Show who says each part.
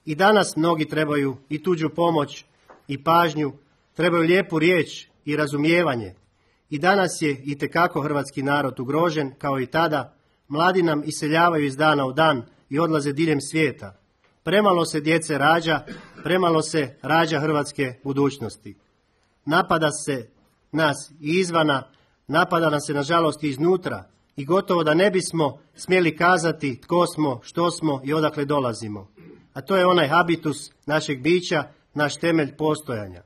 Speaker 1: I danas mnogi trebaju i tuđu pomoć i pažnju, trebaju lijepu riječ i razumijevanje. I danas je itekako hrvatski narod ugrožen, kao i tada. Mladi nam iseljavaju iz dana u dan i odlaze diljem svijeta. Premalo se djece rađa, premalo se rađa hrvatske budućnosti. Napada se nas i izvana, napada nas se nažalost i iznutra i gotovo da ne bismo smjeli kazati tko smo, što smo i odakle dolazimo. A to je onaj habitus našeg bića, naš temelj postojanja.